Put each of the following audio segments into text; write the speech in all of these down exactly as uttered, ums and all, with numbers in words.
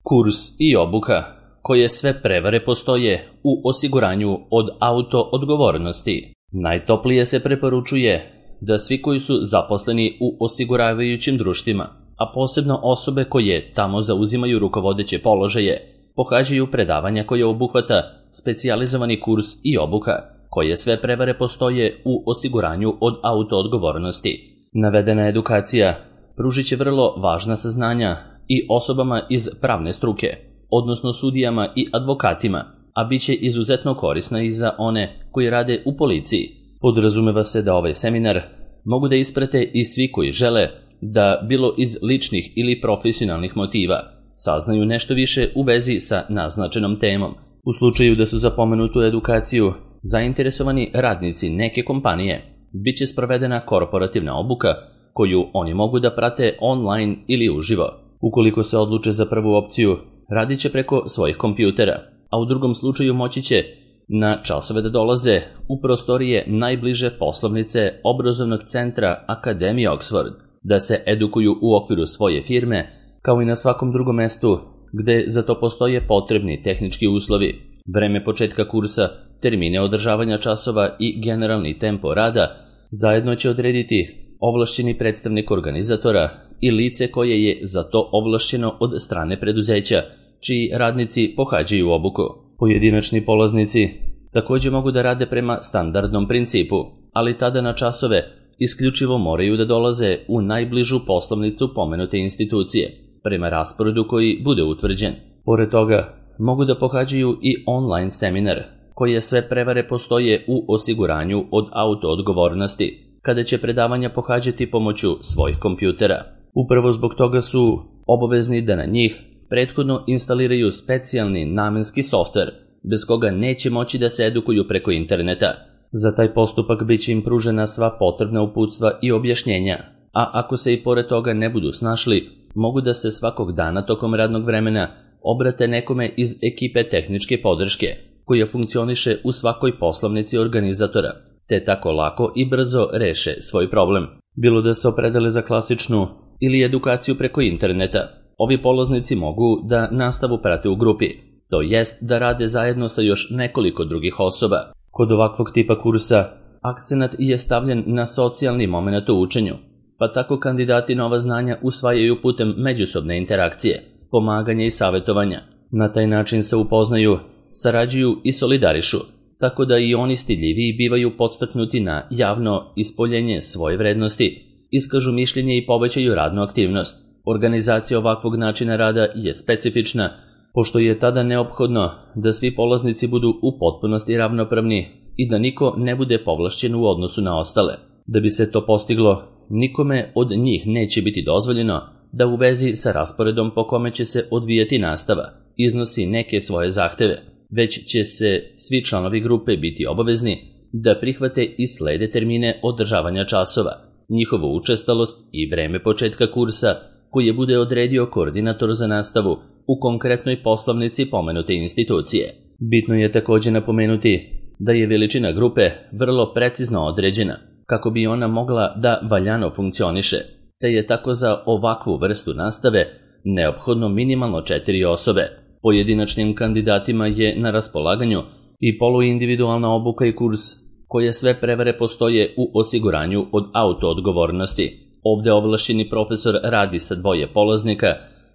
Kurs i obuka, koje sve prevare postoje u osiguranju od auto-odgovornosti. Najtoplije se preporučuje da svi koji su zaposleni u osiguravajućim društvima, a posebno osobe koje tamo zauzimaju rukovodeće položaje, pohađaju predavanja koje obuhvata specijalizovani kurs i obuka, koje sve prevare postoje u osiguranju od auto-odgovornosti. Navedena edukacija pružit će vrlo važna saznanja i osobama iz pravne struke, odnosno sudijama i advokatima, a bit će izuzetno korisna i za one koji rade u policiji. Podrazumeva se da ovaj seminar mogu da isprate i svi koji žele da, bilo iz ličnih ili profesionalnih motiva, saznaju nešto više u vezi sa naznačenom temom. U slučaju da su za pomenutu edukaciju zainteresovani radnici neke kompanije, bit će sprovedena korporativna obuka koju oni mogu da prate online ili uživo. Ukoliko se odluče za prvu opciju, radit će preko svojih kompjutera, a u drugom slučaju moći će na časove da dolaze u prostorije najbliže poslovnice obrazovnog centra Akademije Oxford, da se edukuju u okviru svoje firme, kao i na svakom drugom mestu gde za to postoje potrebni tehnički uslovi. Vreme početka kursa, termine održavanja časova i generalni tempo rada zajedno će odrediti ovlašćeni predstavnik organizatora i lice koje je za to ovlašćeno od strane preduzeća, čiji radnici pohađaju obuku. Pojedinačni polaznici također mogu da rade prema standardnom principu, ali tada na časove isključivo moraju da dolaze u najbližu poslovnicu pomenute institucije, prema rasporedu koji bude utvrđen. Pored toga, mogu da pohađaju i online seminar, koje sve prevare postoje u osiguranju od auto-odgovornosti, kada će predavanja pohađati pomoću svojih kompjutera. Upravo zbog toga su obavezni da na njih prethodno instaliraju specijalni namenski softver, bez koga neće moći da se edukuju preko interneta. Za taj postupak bit će im pružena sva potrebna uputstva i objašnjenja, a ako se i pored toga ne budu snašli, mogu da se svakog dana tokom radnog vremena obrate nekome iz ekipe tehničke podrške, koja funkcioniše u svakoj poslovnici organizatora, te tako lako i brzo reše svoj problem. Bilo da se opredele za klasičnu ili edukaciju preko interneta, ovi polaznici mogu da nastavu prate u grupi, to jest da rade zajedno sa još nekoliko drugih osoba. Kod ovakvog tipa kursa akcenat je stavljen na socijalni moment u učenju, pa tako kandidati nova znanja usvajaju putem međusobne interakcije, pomaganja i savjetovanja. Na taj način se upoznaju, sarađuju i solidarišu, tako da i oni stidljiviji bivaju podstaknuti na javno ispoljenje svoje vrednosti, iskažu mišljenje i povećaju radnu aktivnost. Organizacija ovakvog načina rada je specifična, pošto je tada neophodno da svi polaznici budu u potpunosti ravnopravni i da niko ne bude povlašćen u odnosu na ostale. Da bi se to postiglo, nikome od njih neće biti dozvoljeno da u vezi sa rasporedom po kome će se odvijati nastava iznosi neke svoje zahteve, već će se svi članovi grupe biti obavezni da prihvate i slede termine održavanja časova, njihovu učestalost i vreme početka kursa koje bude odredio koordinator za nastavu u konkretnoj poslovnici pomenute institucije. Bitno je također napomenuti da je veličina grupe vrlo precizno određena, kako bi ona mogla da valjano funkcioniše, te je tako za ovakvu vrstu nastave neophodno minimalno četiri osobe. Pojedinačnim kandidatima je na raspolaganju i poluindividualna obuka i kurs, koje sve prevare postoje u osiguranju od auto-odgovornosti. Ovde ovlašćeni profesor radi sa dvoje polaznika,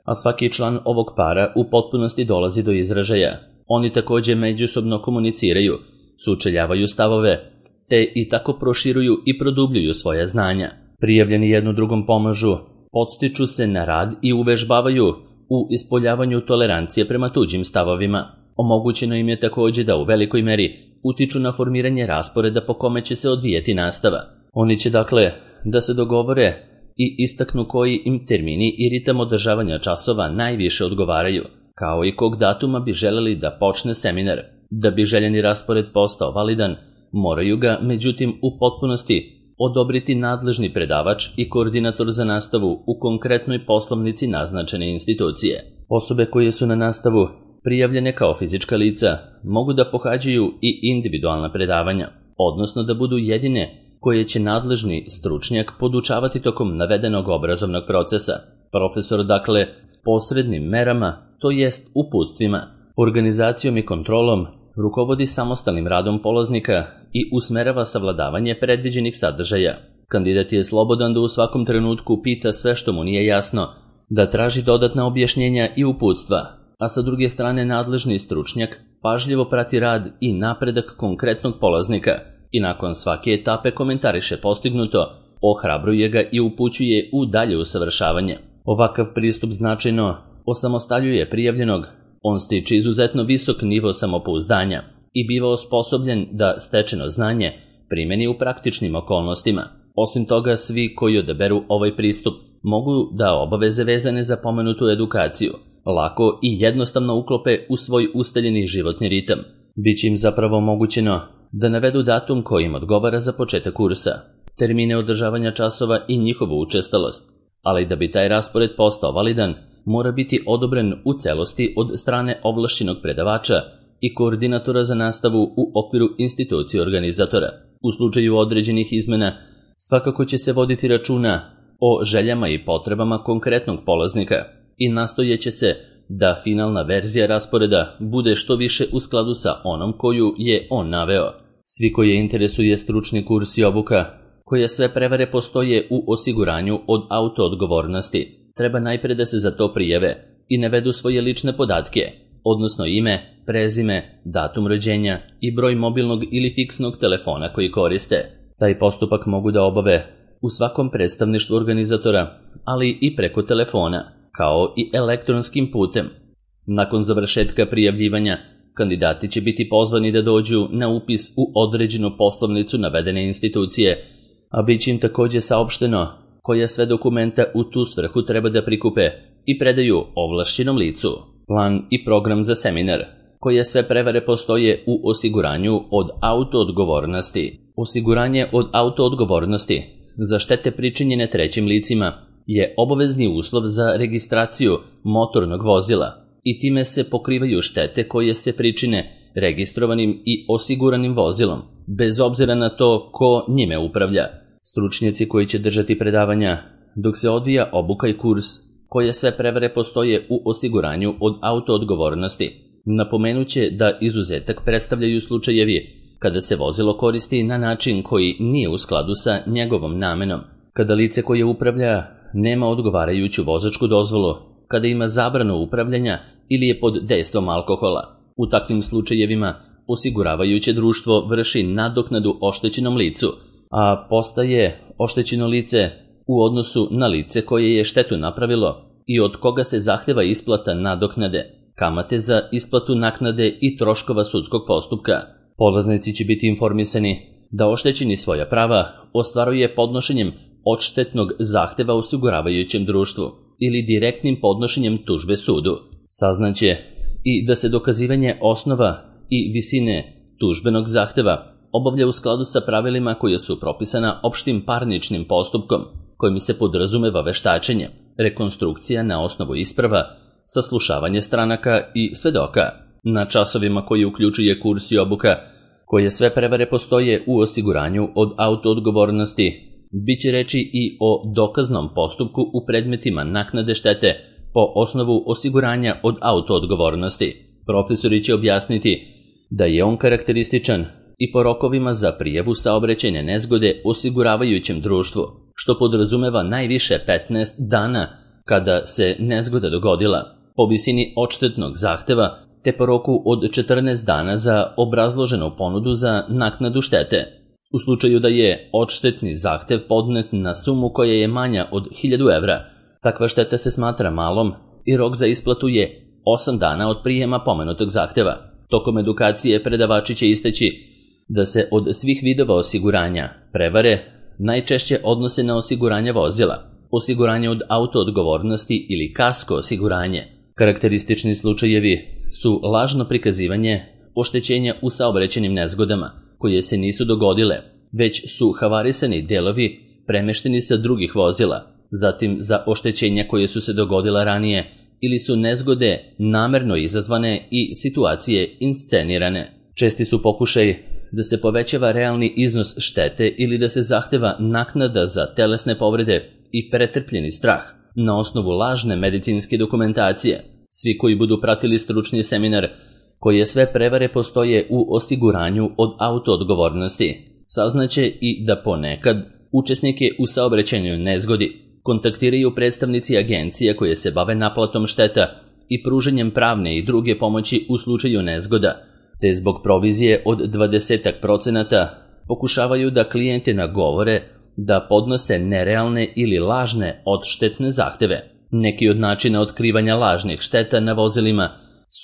a svaki član ovog para u potpunosti dolazi do izražaja. Oni također međusobno komuniciraju, sučeljavaju stavove, te i tako proširuju i produbljuju svoja znanja. Prijavljeni jednu drugom pomažu, podstiču se na rad i uvežbavaju u ispoljavanju tolerancije prema tuđim stavovima. Omogućeno im je također da u velikoj meri utiču na formiranje rasporeda po kome će se odvijeti nastava. Oni će dakle da se dogovore i istaknu koji im termini i ritam održavanja časova najviše odgovaraju, kao i kog datuma bi želeli da počne seminar. Da bi željeni raspored postao validan, moraju ga, međutim, u potpunosti odobriti nadležni predavač i koordinator za nastavu u konkretnoj poslovnici naznačene institucije. Osobe koje su na nastavu prijavljene kao fizička lica mogu da pohađaju i individualna predavanja, odnosno da budu jedine koje će nadležni stručnjak podučavati tokom navedenog obrazovnog procesa. Profesor, dakle, posrednim merama to jest uputstvima, organizacijom i kontrolom, rukovodi samostalnim radom polaznika i usmerava savladavanje predviđenih sadržaja. Kandidat je slobodan da u svakom trenutku pita sve što mu nije jasno, da traži dodatna objašnjenja i uputstva, a sa druge strane nadležni stručnjak pažljivo prati rad i napredak konkretnog polaznika i nakon svake etape komentariše postignuto, ohrabruje ga i upućuje u dalje usavršavanje. Ovakav pristup značajno osamostaljuje prijavljenog, on stiče izuzetno visok nivo samopouzdanja i biva osposobljen da stečeno znanje primeni u praktičnim okolnostima. Osim toga, svi koji odaberu ovaj pristup mogu da obaveze vezane za pomenutu edukaciju lako i jednostavno uklope u svoj ustaljeni životni ritam. Biće im zapravo omogućeno da navedu datum koji im odgovara za početak kursa, termine održavanja časova i njihovu učestalost, ali da bi taj raspored postao validan, mora biti odobren u celosti od strane ovlašćenog predavača i koordinatora za nastavu u okviru institucije organizatora. U slučaju određenih izmena, svakako će se voditi računa o željama i potrebama konkretnog polaznika i nastojeće se da finalna verzija rasporeda bude što više u skladu sa onom koju je on naveo. Svi koje interesuje stručni kurs i obuka, koje sve prevare postoje u osiguranju od autoodgovornosti, treba najpre da se za to prijave i navedu svoje lične podatke, odnosno ime, prezime, datum rođenja i broj mobilnog ili fiksnog telefona koji koriste. Taj postupak mogu da obave u svakom predstavništvu organizatora, ali i preko telefona, kao i elektronskim putem. Nakon završetka prijavljivanja, kandidati će biti pozvani da dođu na upis u određenu poslovnicu navedene institucije, a bit će im takođe saopšteno koja sve dokumenta u tu svrhu treba da prikupe i predaju ovlašćenom licu. Plan i program za seminar, koje sve prevare postoje u osiguranju od autoodgovornosti. Osiguranje od autoodgovornosti za štete pričinjene trećim licima je obavezni uslov za registraciju motornog vozila i time se pokrivaju štete koje se pričine registrovanim i osiguranim vozilom, bez obzira na to ko njime upravlja. Stručnjaci koji će držati predavanja dok se odvija obuka i kurs, koje sve prevare postoje u osiguranju od autoodgovornosti, napomenuće da izuzetak predstavljaju slučajevi kada se vozilo koristi na način koji nije u skladu sa njegovom namenom, kada lice koje upravlja nema odgovarajuću vozačku dozvolu, kada ima zabranu upravljanja ili je pod dejstvom alkohola. U takvim slučajevima osiguravajuće društvo vrši nadoknadu oštećenom licu, a postaje oštećeno lice u odnosu na lice koje je štetu napravilo i od koga se zahteva isplata nadoknade, kamate za isplatu naknade i troškova sudskog postupka. Polaznici će biti informisani da oštećeni svoja prava ostvaruje podnošenjem odštetnog zahteva osiguravajućem društvu ili direktnim podnošenjem tužbe sudu. Saznaće i da se dokazivanje osnova i visine tužbenog zahteva obavlja u skladu sa pravilima koje su propisana opštim parničnim postupkom, kojim se podrazumeva veštačenje, rekonstrukcija na osnovu isprava, saslušavanje stranaka i svedoka. Na časovima koji uključuje kurs i obuka, koje sve prevare postoje u osiguranju od autoodgovornosti, biće reči i o dokaznom postupku u predmetima naknade štete po osnovu osiguranja od autoodgovornosti. Profesori će objasniti da je on karakterističan i po rokovima za prijavu saobraćajne nezgode osiguravajućem društvu, što podrazumeva najviše petnaest dana kada se nezgoda dogodila, po visini odštetnog zahteva, te po roku od četrnaest dana za obrazloženu ponudu za naknadu štete. U slučaju da je odštetni zahtev podnet na sumu koja je manja od hiljadu evra, takva šteta se smatra malom i rok za isplatu je osam dana od prijema pomenutog zahteva. Tokom edukacije predavači će istaći da se od svih vidova osiguranja prevare najčešće odnose na osiguranje vozila, osiguranje od autoodgovornosti ili kasko osiguranje. Karakteristični slučajevi su lažno prikazivanje oštećenja u saobraćajnim nezgodama, koje se nisu dogodile, već su havarisani delovi premešteni sa drugih vozila, zatim za oštećenja koje su se dogodila ranije ili su nezgode namerno izazvane i situacije inscenirane. Česti su pokušaj da se povećava realni iznos štete ili da se zahteva naknada za telesne povrede i pretrpljeni strah na osnovu lažne medicinske dokumentacije, Svi koji budu pratili stručni seminar, koje sve prevare postoje u osiguranju od autoodgovornosti, saznaće i da ponekad učesnike u saobraćajnoj nezgodi kontaktiraju predstavnici agencija koje se bave naplatom šteta i pruženjem pravne i druge pomoći u slučaju nezgoda, te zbog provizije od dvadeset procenata pokušavaju da klijente nagovore da podnose nerealne ili lažne odštetne zahteve. Neki od načina otkrivanja lažnih šteta na vozilima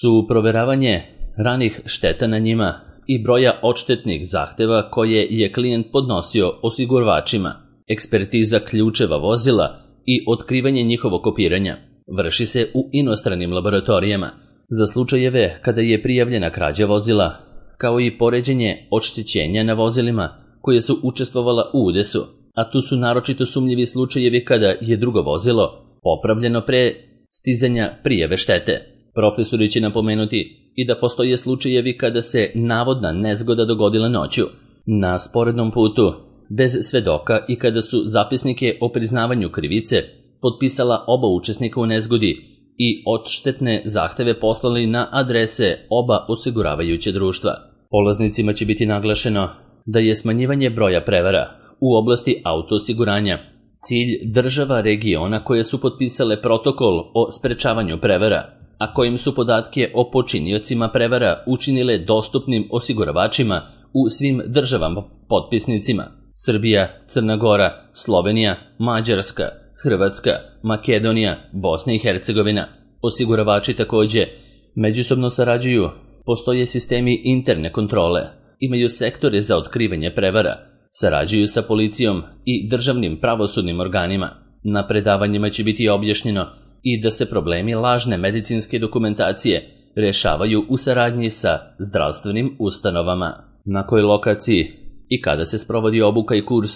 su proveravanje ranih šteta na njima i broja odštetnih zahteva koje je klijent podnosio osiguravačima, ekspertiza ključeva vozila i otkrivanje njihovog kopiranja vrši se u inostranim laboratorijama za slučajeve kada je prijavljena krađa vozila, kao i poređenje oštećenja na vozilima koje su učestvovala u udesu, a tu su naročito sumnjivi slučajevi kada je drugo vozilo popravljeno pre stizanja prijave štete. Profesori će napomenuti i da postoje slučajevi kada se navodna nezgoda dogodila noću, na sporednom putu, bez svedoka i kada su zapisnike o priznavanju krivice potpisala oba učesnika u nezgodi i odštetne zahteve poslali na adrese oba osiguravajuće društva. Polaznicima će biti naglašeno da je smanjivanje broja prevara u oblasti autoosiguranja cilj država regiona koje su potpisale protokol o sprečavanju prevara, a kojim su podatke o počiniocima prevara učinile dostupnim osiguravačima u svim državama potpisnicima: Srbija, Crna Gora, Slovenija, Mađarska, Hrvatska, Makedonija, Bosna i Hercegovina. Osiguravači takođe međusobno sarađuju, postoje sistemi interne kontrole, imaju sektore za otkrivanje prevara, sarađuju sa policijom i državnim pravosudnim organima. Na predavanjima će biti objašnjeno i da se problemi lažne medicinske dokumentacije rešavaju u saradnji sa zdravstvenim ustanovama. Na kojoj lokaciji i kada se sprovodi obuka i kurs,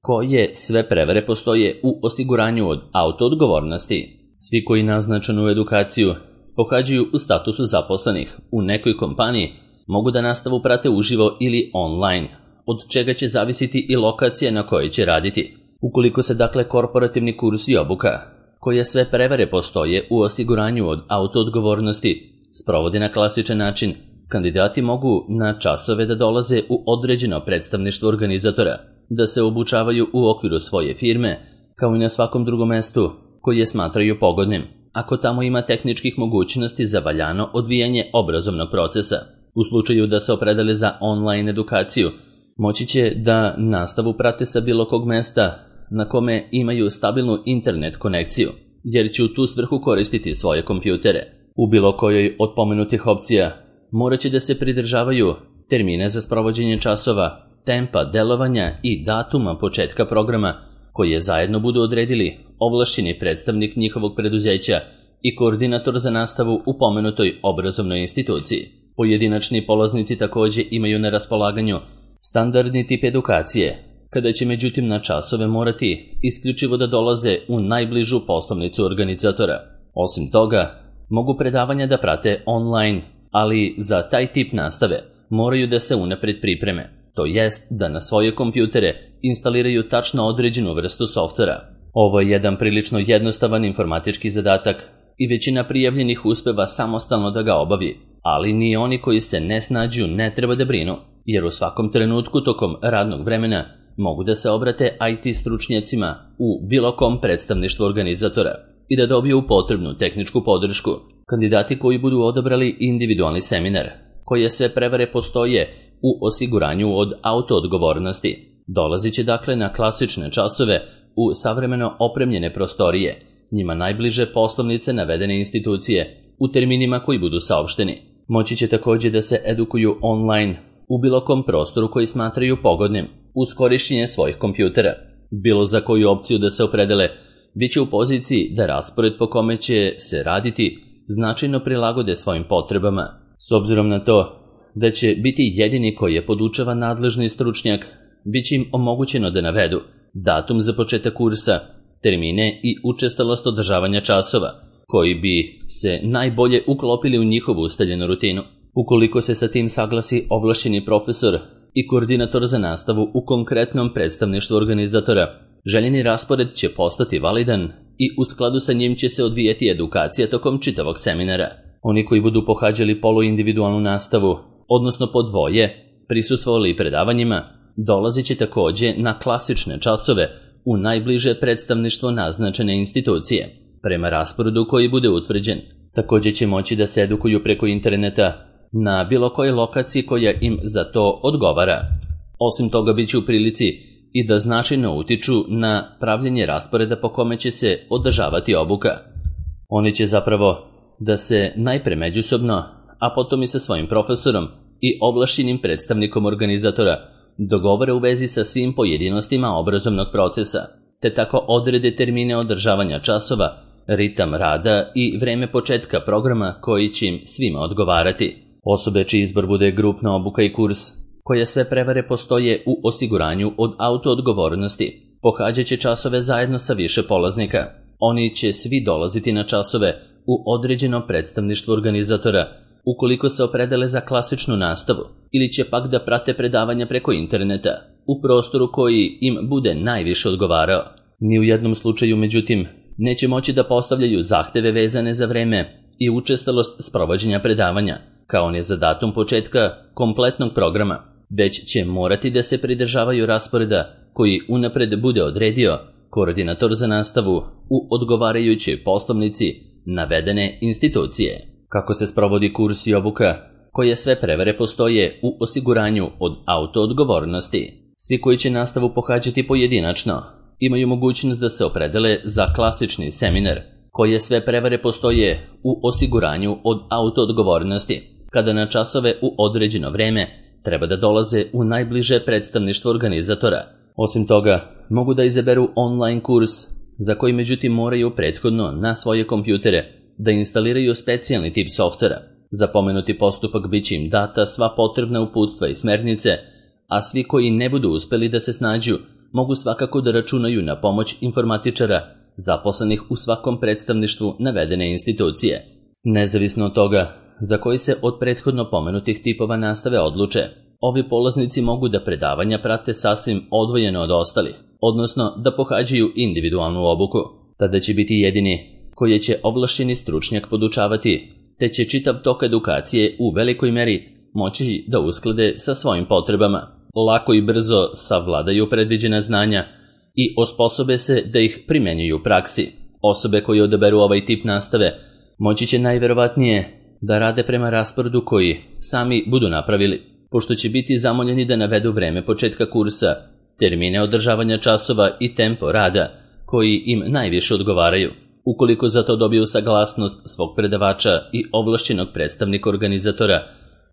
koje sve prevare postoje u osiguranju od autoodgovornosti. Svi koji naznačenu edukaciju pohađaju u statusu zaposlenih u nekoj kompaniji mogu da nastavu prate uživo ili online, od čega će zavisiti i lokacija na kojoj će raditi. Ukoliko se dakle korporativni kurs i obuka, koje sve prevare postoje u osiguranju od autoodgovornosti, sprovodi na klasičan način, kandidati mogu na časove da dolaze u određeno predstavništvo organizatora, da se obučavaju u okviru svoje firme, kao i na svakom drugom mestu koje smatraju pogodnim, ako tamo ima tehničkih mogućnosti za valjano odvijanje obrazovnog procesa. U slučaju da se opredele za online edukaciju, moći će da nastavu prate sa bilo kog mesta na kome imaju stabilnu internet konekciju, jer će u tu svrhu koristiti svoje kompjutere. U bilo kojoj od pomenutih opcija morat će da se pridržavaju termine za sprovođenje časova, tempa delovanja i datuma početka programa koje zajedno budu odredili ovlašćeni predstavnik njihovog preduzeća i koordinator za nastavu u pomenutoj obrazovnoj instituciji. Pojedinačni polaznici takođe imaju na raspolaganju standardni tip edukacije, kada će međutim na časove morati isključivo da dolaze u najbližu poslovnicu organizatora. Osim toga, mogu predavanja da prate online, ali za taj tip nastave moraju da se unapred pripreme, to jest da na svoje kompjutere instaliraju tačno određenu vrstu softvera. Ovo je jedan prilično jednostavan informatički zadatak i većina prijavljenih uspeva samostalno da ga obavi, ali ni oni koji se ne snađu ne treba da brinu, jer u svakom trenutku tokom radnog vremena mogu da se obrate I T stručnjacima u bilo kom predstavništvu organizatora i da dobiju potrebnu tehničku podršku. Kandidati koji budu odabrali individualni seminar, koje sve prevare postoje u osiguranju od autoodgovornosti, dolazit će dakle na klasične časove u savremeno opremljene prostorije, njima najbliže poslovnice navedene institucije, u terminima koji budu saopšteni. Moći će takođe da se edukuju online u bilo kom prostoru koji smatraju pogodnim, uz korišćenje svojih kompjutera. Bilo za koju opciju da se opredele, bit će u poziciji da raspored po kome će se raditi značajno prilagode svojim potrebama. S obzirom na to da će biti jedini koji je podučava nadležni stručnjak, bit će im omogućeno da navedu datum za početak kursa, termine i učestalost održavanja časova, koji bi se najbolje uklopili u njihovu ustaljenu rutinu. Ukoliko se sa tim saglasi ovlašćeni profesor i koordinator za nastavu u konkretnom predstavništvu organizatora, Željeni raspored će postati validan i u skladu sa njim će se odvijeti edukacija tokom čitavog seminara. Oni koji budu pohađali poluindividualnu nastavu, odnosno po dvoje, prisustvovali predavanjima, dolazit će također na klasične časove u najbliže predstavništvo naznačene institucije, prema rasporedu koji bude utvrđen. Također će moći da se edukuju preko interneta na bilo kojoj lokaciji koja im za to odgovara. Osim toga, bit će u prilici i da značajno utiču na pravljenje rasporeda po kome će se održavati obuka. Oni će zapravo da se najpre međusobno, a potom i sa svojim profesorom i ovlašćenim predstavnikom organizatora dogovore u vezi sa svim pojedinostima obrazovnog procesa, te tako odrede termine održavanja časova, ritam rada i vreme početka programa koji će im svima odgovarati. Osobe čiji izbor bude grupna obuka i kurs, koje sve prevare postoje u osiguranju od autoodgovornosti, pohađat će časove zajedno sa više polaznika. Oni će svi dolaziti na časove u određeno predstavništvo organizatora, ukoliko se opredele za klasičnu nastavu, ili će pak da prate predavanja preko interneta, u prostoru koji im bude najviše odgovarao. Ni u jednom slučaju, međutim, neće moći da postavljaju zahteve vezane za vreme i učestalost sprovođenja predavanja, kao ni za datum početka kompletnog programa, već će morati da se pridržavaju rasporeda koji unapred bude odredio koordinator za nastavu u odgovarajućoj poslovnici navedene institucije. Kako se sprovodi kurs i obuka, koje sve prevare postoje u osiguranju od autoodgovornosti. Svi koji će nastavu pohađati pojedinačno imaju mogućnost da se opredele za klasični seminar, koje sve prevare postoje u osiguranju od autoodgovornosti, kada na časove u određeno vreme treba da dolaze u najbliže predstavništvo organizatora. Osim toga, mogu da izaberu online kurs, za koji međutim moraju prethodno na svoje kompjutere da instaliraju specijalni tip softvera. Za pomenuti postupak bit će im data sva potrebna uputstva i smernice, a svi koji ne budu uspeli da se snađu mogu svakako da računaju na pomoć informatičara zaposlenih u svakom predstavništvu navedene institucije. Nezavisno od toga za koji se od prethodno pomenutih tipova nastave odluče, ovi polaznici mogu da predavanja prate sasvim odvojeno od ostalih, odnosno da pohađaju individualnu obuku. Tada će biti jedini koje će ovlašćeni stručnjak podučavati, te će čitav tok edukacije u velikoj meri moći da usklade sa svojim potrebama, lako i brzo savladaju predviđena znanja i osposobe se da ih primenjuju u praksi. Osobe koje odaberu ovaj tip nastave moći će najverovatnije da rade prema rasporedu koji sami budu napravili, pošto će biti zamoljeni da navedu vreme početka kursa, termine održavanja časova i tempo rada koji im najviše odgovaraju. Ukoliko za to dobiju saglasnost svog predavača i ovlašćenog predstavnika organizatora,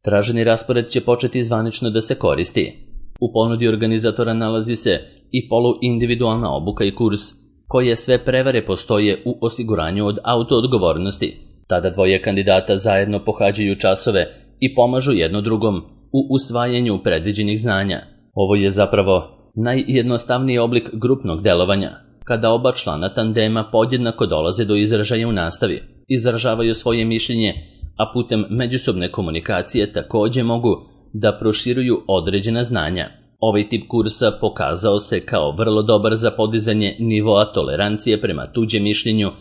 traženi raspored će početi zvanično da se koristi. U ponudi organizatora nalazi se i poluindividualna obuka i kurs, koje sve prevare postoje u osiguranju od autoodgovornosti. Tada dvoje kandidata zajedno pohađaju časove i pomažu jedno drugom u usvajanju predviđenih znanja. Ovo je zapravo najjednostavniji oblik grupnog delovanja, kada oba člana tandema podjednako dolaze do izražaja u nastavi, izražavaju svoje mišljenje, a putem međusobne komunikacije također mogu da proširuju određena znanja. Ovaj tip kursa pokazao se kao vrlo dobar za podizanje nivoa tolerancije prema tuđem mišljenju,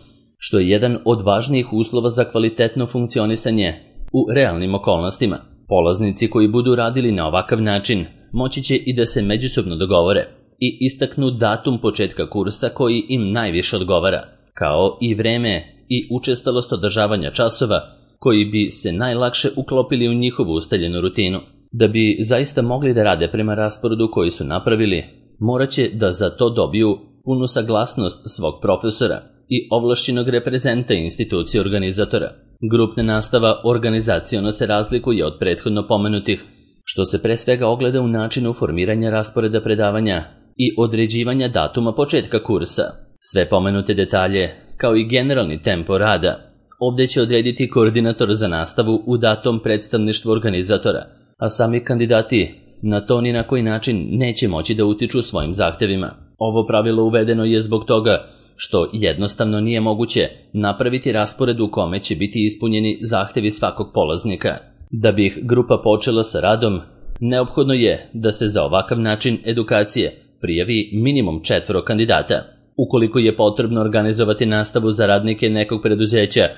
što je jedan od važnijih uslova za kvalitetno funkcionisanje u realnim okolnostima. Polaznici koji budu radili na ovakav način moći će i da se međusobno dogovore i istaknu datum početka kursa koji im najviše odgovara, kao i vreme i učestalost održavanja časova koji bi se najlakše uklopili u njihovu ustaljenu rutinu. Da bi zaista mogli da rade prema rasporedu koji su napravili, morat će da za to dobiju punu saglasnost svog profesora i ovlašćenog reprezenta institucije organizatora. Grupna nastava organizaciono se razlikuje od prethodno pomenutih, što se pre svega ogleda u načinu formiranja rasporeda predavanja i određivanja datuma početka kursa. Sve pomenute detalje, kao i generalni tempo rada, ovdje će odrediti koordinator za nastavu u datom predstavništvu organizatora, a sami kandidati na to ni na koji način neće moći da utiču svojim zahtevima. Ovo pravilo uvedeno je zbog toga što jednostavno nije moguće napraviti raspored u kome će biti ispunjeni zahtevi svakog polaznika. Da bi ih grupa počela sa radom, neophodno je da se za ovakav način edukacije prijavi minimum četvoro kandidata. Ukoliko je potrebno organizovati nastavu za radnike nekog preduzeća,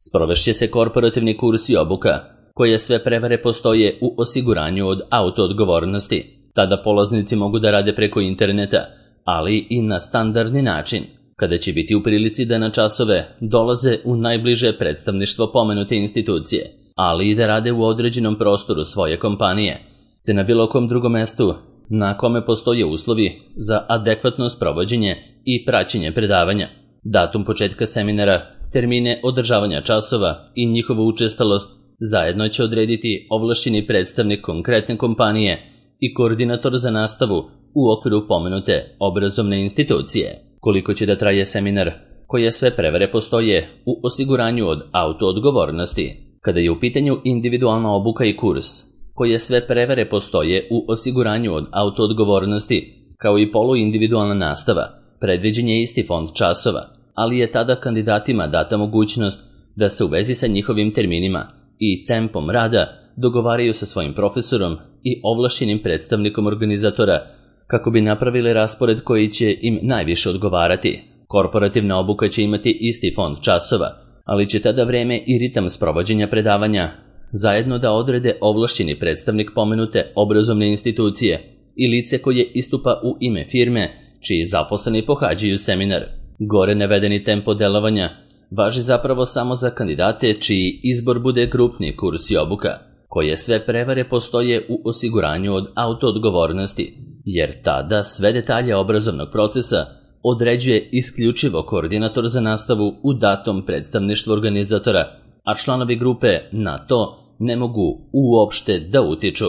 sprovešće se korporativni kurs i obuka, koje sve prevare postoje u osiguranju od autoodgovornosti. Tada polaznici mogu da rade preko interneta, ali i na standardni način, kada će biti u prilici da na časove dolaze u najbliže predstavništvo pomenute institucije, ali i da rade u određenom prostoru svoje kompanije, te na bilo kom drugom mestu na kome postoje uslovi za adekvatno sprovođenje i praćenje predavanja. Datum početka seminara, termine održavanja časova i njihovu učestalost zajedno će odrediti ovlašćeni predstavnik konkretne kompanije i koordinator za nastavu u okviru pomenute obrazovne institucije. Koliko će da traje seminar, koje sve prevare postoje u osiguranju od autoodgovornosti. Kada je u pitanju individualna obuka i kurs, koje sve prevare postoje u osiguranju od autoodgovornosti, kao i poluindividualna nastava, predviđen je isti fond časova, ali je tada kandidatima data mogućnost da se u vezi sa njihovim terminima i tempom rada dogovaraju sa svojim profesorom i ovlašćenim predstavnikom organizatora kako bi napravili raspored koji će im najviše odgovarati. Korporativna obuka će imati isti fond časova, ali će tada vreme i ritam sprovođenja predavanja zajedno da odrede ovlašćeni predstavnik pomenute obrazovne institucije i lice koje istupa u ime firme čiji zaposleni pohađaju seminar. Gore navedeni tempo delovanja važi zapravo samo za kandidate čiji izbor bude grupni kurs i obuka, koje sve prevare postoje u osiguranju od autoodgovornosti, jer tada sve detalje obrazovnog procesa određuje isključivo koordinator za nastavu u datom predstavništvu organizatora, a članovi grupe na to ne mogu uopšte da utiču.